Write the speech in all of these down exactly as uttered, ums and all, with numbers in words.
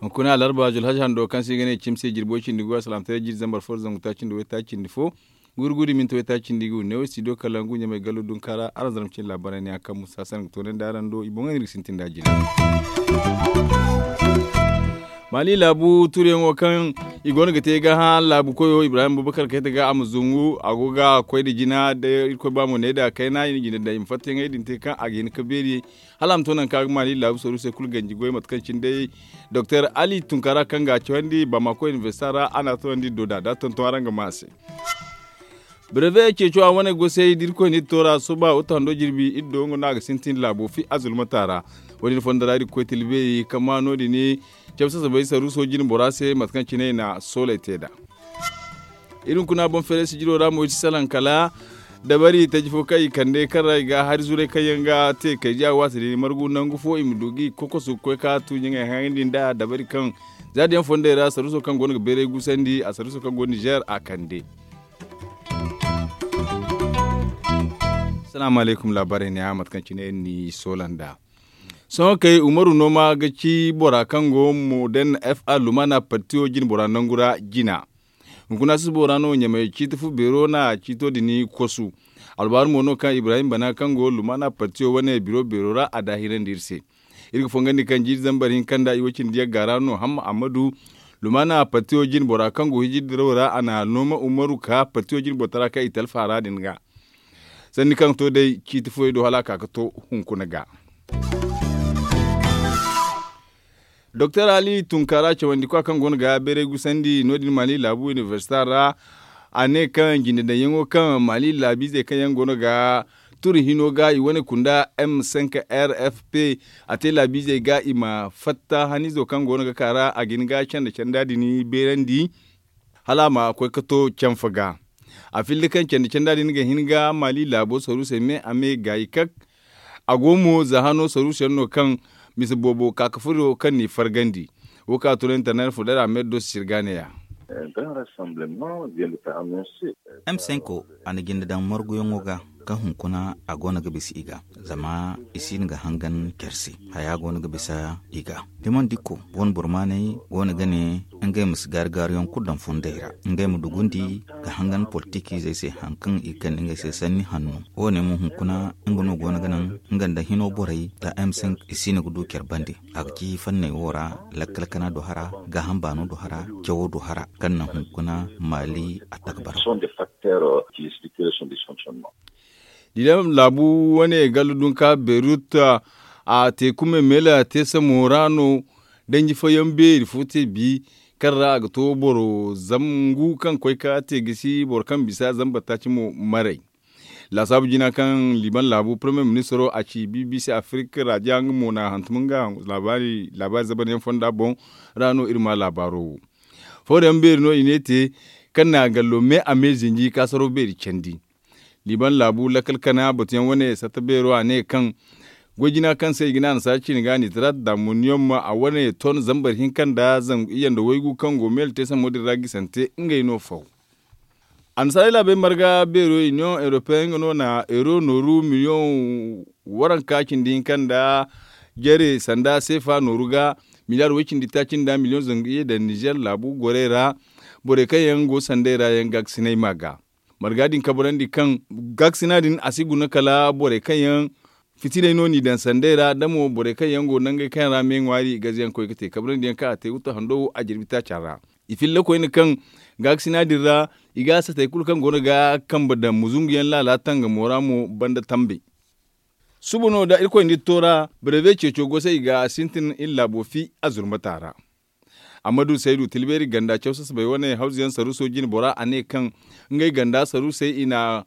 Hunkuna alarba julhaj hando kaŋ se i ga ne cimse jirbo cindi go a salaamtaray jiri zambar fo da zangu taaci nda waytaaci nda fo, guri guri minti waytaaci nda i ga wune wo studio kalangu ɲamay gallo dunka ra araŋ zarma cine laabaarey ne yaŋ kaŋ musa sanda ga toonandi araŋ do i boŋey no iri ga sintin nd'a jina. Maali laabu tuuriyaŋo kaŋ i go no ga te ga hã laabu koyo ibrahim bubakar kayta ga a ma zungu a go ga koy nda jina da irkoy ba mo ne nda kayna i na jina daŋ i ma fattayaŋey din te kaŋ a ga hin ga beeri hala a ma to nangu kaŋ a ga maali laabu saru se kulu ganji goy mate kaŋ cine day doktor ali tunkara kaŋ ga a cawandi bamako inibersita ra a na a toonandi do da da tonton araŋ ga ma a se. Breve ceeco a wane gosey da irkoy na iri to ra sohõ ba wutta hando jirbi iri do nga no a ga sintin laabo fi azulmata ra. Wo- din fondo ra iri ga koy tilbeeri kaŋ ma no- din cabe sasabay saruuso jine bora se mate kaŋ cine i na sooley te nd'a. Iri hunkuna boŋ feeray sijiro ra mo iri si salaŋ kala dabari taji fo kaŋ i kande kaŋ ra i ga hari zurey kaŋ yaŋ ga te kaydiya waati din margu nangu fo i ma du ga i kokosu ga koy ka tuuji ngey haŋ din nd'a dabari kaŋ za da yaŋ fondey ra saruuso kaŋ go no ga beeray gusandi a saruuso kaŋ go nizer a kande. Salaamu alaykum laabaarey ne a mate kaŋ cine iri n'i soola nd'a. Sohõ kay umaru nooma ga ci bora kaŋ go modern fa lumana partiyo jine bora nangu ra jina. Hunkuna susubo ra no ɲamay ciiti fu beero na ciito din kosu. Alwaaru mo no kaŋ ibrahim bana kaŋ go lumana partiyo wane biro beero ra a daahirandi iri se. Iri ga fongandi kaŋ jiiri zambar hinka nda i wo cindi yagga ra no hamma ammadu lumana partiyo jine bora kaŋ go hijiri dirawo ra a na nooma umaru ka partiyo jine boro tara kaŋ i talfa ra din ga. Sanni kaŋ to day ciiti fooyaŋ do hala a ka ga to hunkuna ga. Doktor ali tunkara cawandi kwa kaŋ go no ga beeray gusandi no- din mali laabu inibersita ra. A ne kaŋ jinde daŋyaŋo kaŋ mali laabiizey kaŋ yaŋ go no ga turi hino ga i wane kunda m cinq r f p a te laabiizey ga i ma fatta hanizo kaŋ go no ga ka ra a ga hin ga canda canda din beerandi hala a ma koy ga to canfa ga. A filli kaŋ canda canda din ga hin ga mali laabo saruusey me a me gaayi kak. A go mo za hano saruusu yaŋ no kaŋ mise boobo ka ga furo kaŋ n'i fargandi. Wo kaŋ a tun internet fo day ra a ma iri do sisiri ga neeya. M cinq a na jinde daŋ marguyaŋo ga kaŋ hunkuna a go no ga bisa i ga zama i si hin ga hangan care se. Haya go no ga bisa i ga. Dimandiko wane burmaaney go no ga ne ngey ma si gaari gaariyaŋ kulu daŋ fondey ra ngey ma dugundi ga hangan politikiizey se hari kaŋ i kande ngey se sanni hanno. Wo- ne mo hunkuna nga no go no ga naŋ nga nda hino borey da m cinq i si no ga du care bande. A ga ci fanney wo ra lakkal kana do hara gaaham baano do hara cawo do hara kaŋ naŋ hunkuna maali a taka bara. Dilam laabu wane gallo dunka beirut a teeku memeela teesamo ra no danji fooyaŋ beeri fo te bi kaŋ ra a ga to boro zangu kaŋ koy ka te gisi boro kaŋ bisa zamba taaci mo maray. Laasaabu jina kaŋ liban laabu premier ministro a ci bbc afirika raaja nga mo na hantum nga laabaari zabaryaŋ fonda boŋ ra no iri ma laabaaro wo. Fooyaŋ beeri no i ne te kaŋ na gallo me a me zinji kaasaro beeri candi. Liban laabu lakkal kana batuyaŋ wane satta beero a ne kaŋ goy jina kaŋ se i ga ne annasaara ciine ga nitrat da muniyom a wane ton zambar hinka nda zangu iyye nda waygu kaŋ go meele te sammo din ra gisante ngey no faw. Annasaarey laabey marga beero union europeen nga no na euro nooru miliyoŋ waranka cindi hinka nda jare sanda seefa nooru ga miliyaar way cindi taaci nda miliyoŋ zangu iyye daŋ nizer laabu gorey ra. Borey kaŋ yaŋ go sanday ra yaŋ gaakasinay ma ga marga din kabrandi kaŋ gaakasina din a si guna kala borey kaŋ yaŋ fitiney no n'i daŋ sanday ra da mo borey kaŋ yaŋ go nangey kaŋ yaŋ ra me ŋwaari gazayaŋ koy ga te kabrandiyaŋ kaŋ a te wuta hando wo a jirbi taaca ra. I filla koyne kaŋ gaakasina din ra i ga a satey kulu kaŋ go no ga kambe daŋ muzunguyaŋ laala tangamo ra mo banda tambe. Suba no da irkoy nda iri to ra breve ceeco go se i ga sintin iri laabo fi a zurmata ra. Ammadu saydu tilbeeri ganda caw sasabey wane hawzuyaŋ saruuso jine bora a ne kaŋ ngey ganda saruusey i na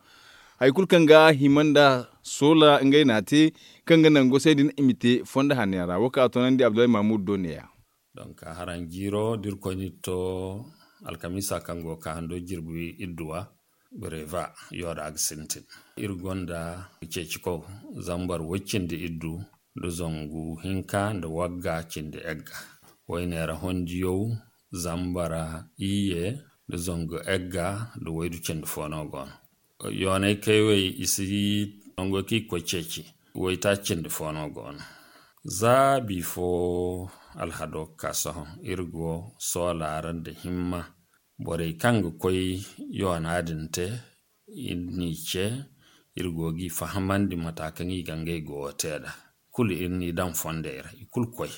hari kulu kaŋ ga hima nda soola ngey n'a te kaŋ ga naŋ gosey din i ma te fondo hanno yaŋ ra wo kaŋ a toonandi abdullahi mahmud do neeya. Donk haraŋ jiiro da irkoy n'iri to alkamiisa kaŋ go ga ka hando jirbi idduwa breva yo da a ga sintin. Iri gonda ceecikow zambar way cindi iddu nda zangu hinka nda wagga cindi egga wayne ra hondiyaw zambara iyye da zangu egga da waydu cindi fo no go no. Yoonay kaywey i si nango kaŋ i ga koy ceeci. Waytaaci cindi fo no go no. Za bifo alhado ga ka sohõ, iri go soola ra nda himma. Borey kaŋ ga koy yoona din te, iri n'i ce, iri go g'i fahamandi mata kaŋ i ga ngey goyo te nd'a. Kulu iri n'i daŋ fondey ra i kulu koy.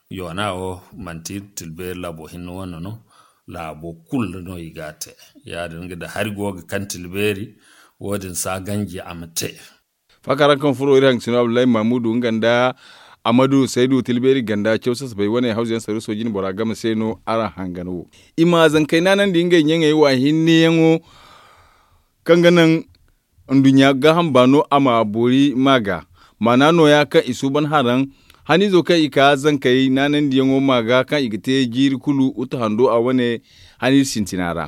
Yoona wo manti iri tilbeeri laabo hinne wane no. Laabo kulu no i g'a te. Ya- din ga da hari go ga kaŋ tilbeeri, wo- din si a ganji a ma te. Faakaraŋ kaŋ furo iri hangasino abdullahi mamudu nga nda amadu saydu tilbeeri ganda caw sasabay wane hawzu yaŋ saruuso jine bora game se no araŋ hangan wo. I ma zankey naanandi ngey ɲaŋey wa hinne yaŋo kaŋ ga naŋ nduɲɲa gaaham baano a ma boori ma ga. Maana nooya kaŋ i suuban haraŋ haniizo kaŋ i ka zankey naanandiyaŋo ma ga kaŋ i ga te jiiri kulu utu hando a wane haniize sintina ra.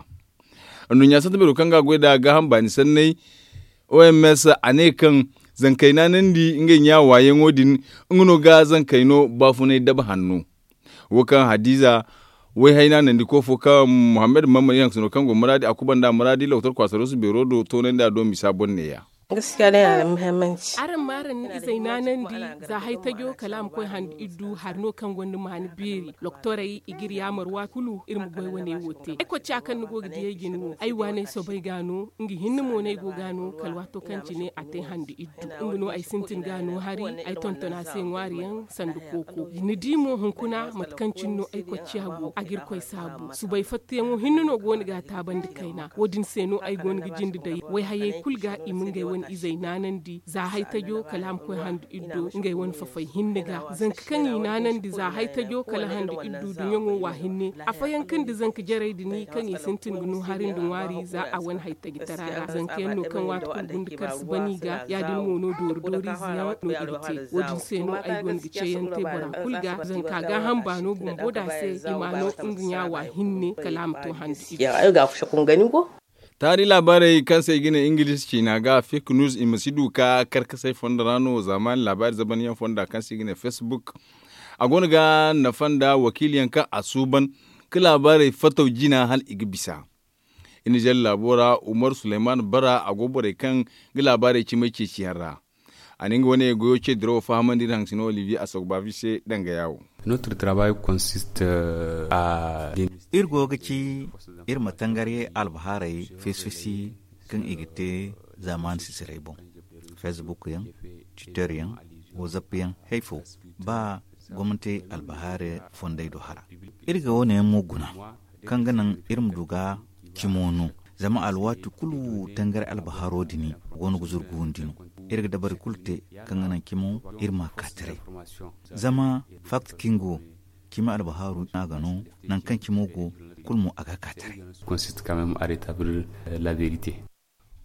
Nduɲɲa santabeero kaŋ ga a goy nd'a gaaham baani sanney, oms a ne kaŋ zankey naanandi ngey ɲa waayaŋo din, nga no ga zankey no baafunay daba hanno. Wo kaŋ hadiza wayhay naanandiko fo kaŋ muhammad mammad iri hangasino kaŋ go muraadi a kuba nd'a muraadi lokotor kwaasarosu beero do toonandi a do misa boŋ neeya. Araŋ ma araŋ ni izey naanandi za hay tajo kala a ma koy handi iddu hari no kaŋ gonda maani beeri. Lokotorey i ga iri yaamar waati kulu iri ma goy wane wo te ay kocca kaŋ ni go ga diyey jine wo ay waaney soobay ga no nga hinne mo no ay go ga no kala waato kaŋ cine a te handi iddu. Nga no ay sintin ga no hari ay tonton a se ŋwaari yaŋ sanda kooko ni di mo hunkuna mate kaŋ cine no ay kocciya go a ga irkoy saabu subay fattayaŋo hinne no go no ga a taabandi kayna wo- din se no ay go no ga jinde day wayhayey kulu ga i ma ngey wane izey naanandi za hay tajo kala a ma koy handu iddo ngey wane fafay hinne ga zanka kaŋ i naanandi za hay tajo kala handu iddu duɲɲaŋo wa hinne afooyaŋ kaŋ da zanka jarey din kaŋ i sintin ga no hari nda ŋwaari za a wane hay tajitara ra zanka yaŋ no kaŋ waati kulu gunda kar si ban i ga ya- din mo no doori doori ize yaŋ no i ga te wo- din se no ay go no ga ceeyaŋ te bora kulu ga zanka gaaham baano bumbo da se i ma no nga ɲa wa hinne kala a ma to handi. Taari laabaarey kaŋ se i ga ne ingilis ciina ga fake news i ma si du ka karkasay fondo ra no zaamaani laabaari zabanyaŋ fonda kaŋ se i ga ne facebook. A go no ga nafa nda wakiiliyaŋ kaŋ a suuban ka laabaarey fattaw jina hala i ga bisa. Iri na jalla laabo ra umar suleyman bara a go borey kaŋ ga laabaarey cimay ceeciyaŋ ra. A na nga wane goyo ce dirawo fahamandi iri hangasino olivier asogbafi se danga yaawo. Notre travail consiste à iri go ga ci iri ma tangari albahaarey fesfesi kaŋ i ga te zaamaani sisiray boŋ. Facebook yaŋ, twitter yaŋ, whatsapp yaŋ, hay fo ba gomnati albahaari fondey do hara. Iri ga wo- ne yaŋ mo guna kaŋ ga naŋ iri ma du ga cimo no. Zama alwaati kulu tangari albahaaro din go no ga zuru guundi no. Iri ga dabari kulu te kaŋ ga naŋ cimo iri ma a ka taray. Zama fakti kingo cimi albahaaru no a ga no nangu kaŋ cimo go kulu mo a ga a ka taray. Consiste quand même à rétablir la vérité.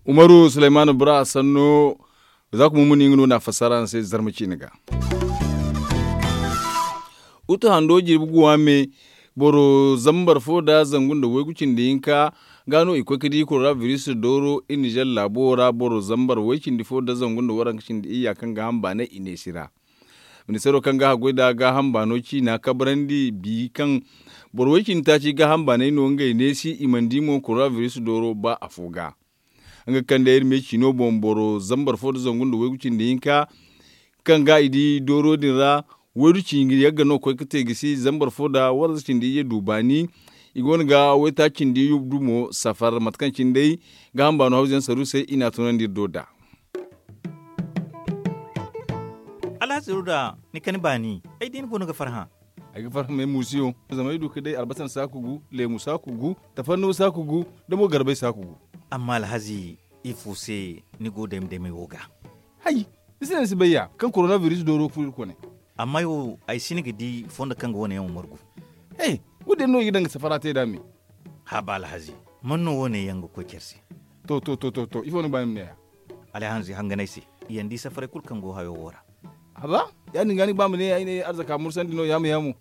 Umaru suleymaanu bura sanno. Za kuma muni nga no na fassara araŋ se zarma ciine ga. Utu hando jirbi guwa me boro zambar fo da zangu nda waygu cindi hinka ga no i koy ga di koronabiris dooro iri nizer laabo ra boro zambar way cindi fo da zangu nda waranka cindi iyya kaŋ ga hamba ne i neesi ra. Ministeero kaŋ ga haggoy nda gaaham baano ciina kabrandi bi kaŋ boro way cindi taaci gaaham baanay no ngey neesi i mana di mo koronabiris dooro ba afo ga. Nga kaŋ day iri me ciino boŋ boro zambar fo nda zangu nda waygu cindi hinka kaŋ ga i di dooro din ra waydu cindi yagga no koy ga te ga si zambar fo nda waranza cindi iyye du baani. I go no ga waytaaci cindi iyye du mo safar mate kaŋ cine day gaaham baano hawzu yaŋ saru se i n'a tunandi iri do nd'a. Alhazi ruda ni kani baani ay di ni go no ga farhã. Ay ga farhã me muusiyo zama ay du ka day albasan saaku gu leemu saaku gu tafannuwa saaku gu da mo garbay saaku gu. Amma alhazi ifo se ni go dayma daymay wo ga? Hay, ni si ne ni si bay ya kaŋ koronabiris dooro ga furo iri kone. Amma ay wo ay si ni ga di fondo kaŋ ga wane yaŋ wo margu. He, wo- din no i ga daŋ ga safara te nd'a me. Haba alhazi, man no wane yaŋ ga koy care se? To to to to to ifo ni ga ba ni ma ne ya? Alhazi hanganay se, i yaŋ di safaray kulu kaŋ go hayo wo ra. Haba, ya- din ga ni ga ba ma ne ay ne arzaka mursandi no ya- ma ya mo.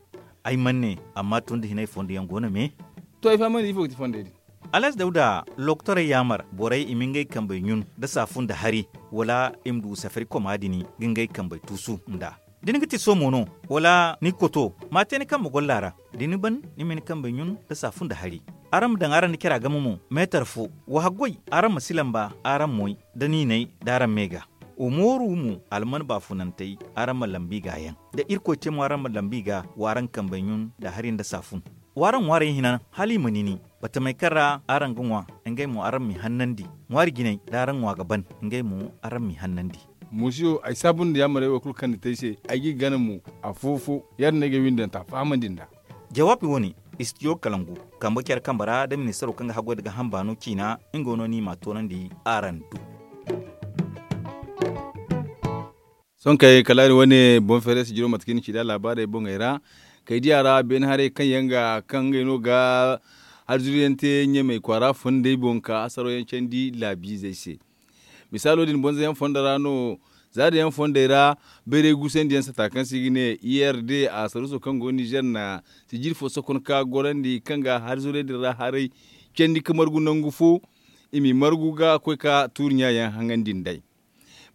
Ay mana ne, amma tun da hinay fondo yaŋ go no me. To ay fahamandi ifo ga ti fondey din? Alhazi dawda lokotorey yaamar borey i ma ngey kambey ɲun nda saafu nda hari, wala i ma du safari koma din ga ngey kambey tuusu nd'a. Da ni ga ti soomo no, wala ni ga koto, ma a te ni kambe golla ra. Da ni ban, ni ma ni kambey ɲun nda saafu nda hari. Araŋ ma daŋ araŋ nda cara game mo meetar fo. Wa haggoy, araŋ ma si lamba araŋ moy, da niinay da araŋ me ga. Wa mooru mo alman baafunantey, araŋ ma lambi ga yaŋ. Da irkoy te mo araŋ ma lambi ga, wa araŋ kambey ɲun nda hari nda saafun. Wa araŋ ŋwaarey hinan hala i ma nini. Batamey kaŋ ra araŋ ga ŋwa, ngey mo araŋ m'i hannandi. Ŋwaari jinay da araŋ ŋwa ga ban, ngey mo araŋ m'i hannandi. Muusiyo, ay saabu nda yaamarey wo kulu kaŋ ni te ay se. Ay g'i gana mo afo-fo. Ya- din no ay ga ay windanta fahamandi nd'a. Jawaabi wo- ne, istidiyo kalangu, kambe care kambe ra nda ministaro kaŋ ga haggoy nda gaaham baano ciina, nga no ni m'a toonandi araŋ do. Sohõ kay kala iri wane boŋ feeray sijiro mate kaŋ i na ci nd'a laabaarey boŋey ra. Kay diya ra beene haray kaŋ yaŋ ga kaŋ ngey no ga harzuru yaŋ te ɲamey kwaara fondey boŋ ka hasaro yaŋ candi laabiizey se. Misaalo din bonza yaŋ fondo ra no, zaada yaŋ fondey ra, bayray guusandi yaŋ sata kaŋ se i ga ne i r d a saruuso kaŋ go nizer na sijiri fo sokon ka gorandi kaŋ ga harzurey din ra haray candi ka margu nangu fo. I m'i margu ga koy ka tuuri ɲa yaŋ haŋandi nd'ey.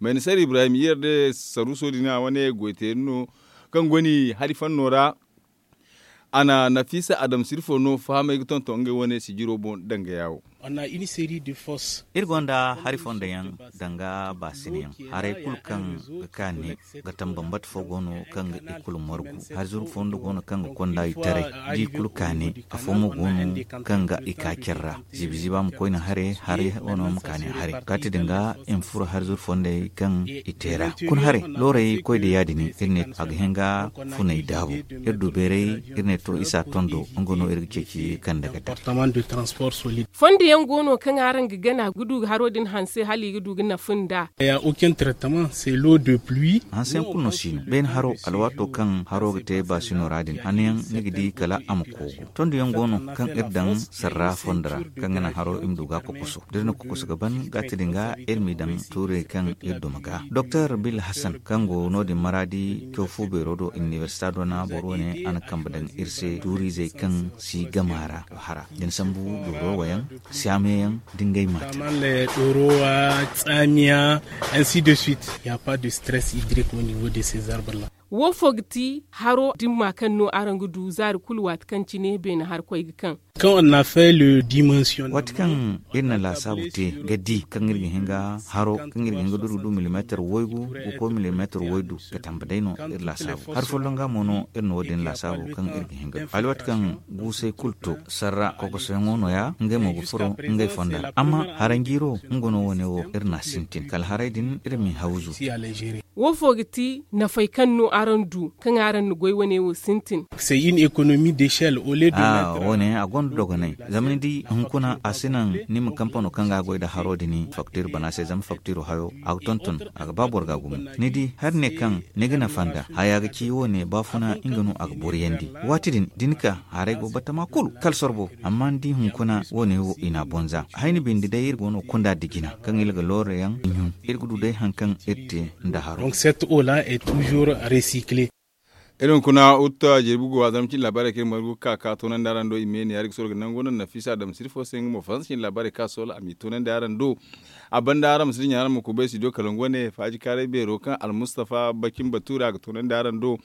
Mayna sar ibrahim i r d saruuso din a wane goyteeri no kaŋ go ni hari fanno ra. A na nafiisa adam sirfo no fahamay ga tonton ngey wane sijiro boŋ danga yaawo. Iri gonda hari fondo yaŋ danga baasina yaŋ haray kulu kaŋ ga kaani. Ga tam bambata fo go no kaŋ ga i kulu margu. Hari zuru fondo go no kaŋ ga konda i taray. Da i kulu kaani. Afo mo go no kaŋ ga i ka care ra. Ziibi ziiba ma koyne hare, hare wano ma kaani hare. Kaati din ga i ma furo hari zuru fondey kaŋ i te ra. Kun hare looray koy da ya- din iri ne a ga hin ga funay daabu. Iri du bayray iri ne to isa tondo nga no iri ga ceeci kande ga daŋ. Fondo yaŋ go no kaŋ araŋ ga gana ga du ga haro din hanse hala i ga du ga nafa nda. Hanse yaŋ kulu no si no beene haro alwaato kaŋ haro ga te baasino ra din hanno yaŋ ni ga di kala a ma koogu. Tondo yaŋ go no kaŋ iri daŋ sarra fondo ra kaŋ ga naŋ haro i ma du ga kokoso da iri na kokoso ga ban gaati din ga iri m'i daŋ tuurey kaŋ iri duma ga doktor bil hasan kaŋ go no- din maraadi caw fu beero do inibersita do na boro wane a na kambe daŋ iri se tuuriizey kaŋ si gama ra. Hara da ni sambu dooro wayaŋ, saamiya yaŋ da ngey maate. Wo fo ga ti haro dimma kaŋ no araŋ ga du zaari kulu waati kaŋ cine beene harkoy ga kaŋ. Waati kaŋ iri na laasaabu te ga di kaŋ iri ga hin ga haro kaŋ iri ga hin ga du iri ga du milimeetar waygu ga koy milimeetar waydu ga tambe day no iri laasaabu hari folloŋ ga mo no iri na wo- din laasaabu kaŋ iri ga hin ga du hala waati kaŋ guusay kulu to sarra kokosoyaŋo no- ya ngey mo ga furo ngey fonda ra amma haranjiiro nga no wane wo iri n'a sintin kala haray din iri m'i hawzu. Wo fo ga ti nafey kaŋ no araŋ du kaŋ araŋ na goy wane wo sintin? Wo- ne a gonda dogonay zama ni di hunkuna a si naŋ ni ma kampano kaŋ ga a goy nda haro din faktiir bana se zama faktiiro hayo a ga tonton a ga ba boro ga gumo. Ni di hari ne kaŋ ni ga nafa nda haya ga ci wo- ne baafuna nga no a ga boriyandi. Waati din da ni ka haray go batama kulu kala sorbo amma ni di hunkuna wo- ne wo i n'a bonza hayni bindi day iri go no kunda nda jina kaŋ iri ga looro yaŋ ɲun iri ga du day hari kaŋ iri te nda haro. Iri hunkuna utta jirbi go a zama cin laabaarey kaŋ iri margu ga ka ka toonandi araŋ do i me ne ya iri ga soro ga nango no nafiisa adam sirfo se nga mo faransa cin laabaarey kaŋ a soola a m'i toonandi araŋ do. A banda araŋ ma si dinya araŋ ma kubay studio kalangu wane faaji kaaray beero kaŋ almustafa bakin batuura a ga toonandi araŋ do.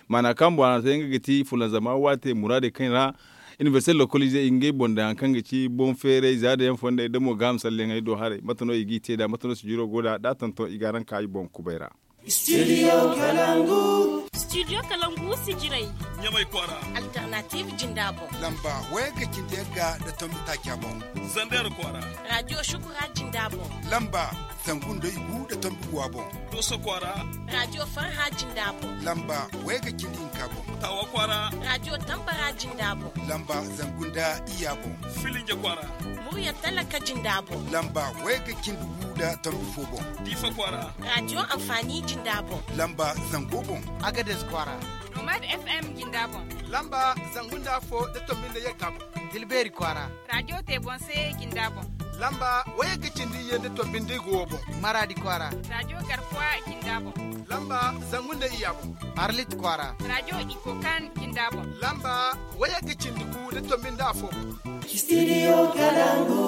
Maana kaŋ boŋ a na te nga ga ti fulanzama waate muraadey kaŋ ra inibersite lokoliizey i ngey boŋ daŋ hari kaŋ ga ci boŋ feeray za da yaŋ fondey da mo gaaham salleyaŋey do haray mate no i g'i te nd'a mate no sijiro go nd'a da a tonton i ga araŋ ka i boŋ kubay ra. Studio kalangu. Studio kalangu sijirey. Ɲamay kwaara. Alternative jinda boŋ. Lamba wayagga cindi yagga nda tombi taaca boŋ. Zander kwaara. Radio shukura jinda boŋ. Lamba zangu nda igu nda tombi guwa boŋ. Doso kwaara. Radio farha jinda boŋ. Lamba wayagga cindi hinka boŋ. Tawa kwaara. Radio tambara jinda boŋ. Lamba zangu nda iyya boŋ. Filinje kwaara. Murya talaka jinda boŋ. Lamba wayagga cindi gu nda tombi fo boŋ. Diifa kwaara. Radio anfaani jinda boŋ. Lamba zango boŋ. Agades kwaara. Nomad FM jinda boŋ. Lamba zangu nda afo nda tombi nda yagga boŋ. Tilbeeri kwaara. Radio te boŋ se jinda boŋ. Lamba wayagga cindi iyye nda tombi nda igu wo boŋ. Maraadi kwaara. Radio garkuwa jinda boŋ. Lamba zangu nda iyya boŋ. Arlit kwaara. Radio ikokan jinda boŋ. Lamba wayagga cindi gu nda tombi nda afo boŋ. Studio kalangu.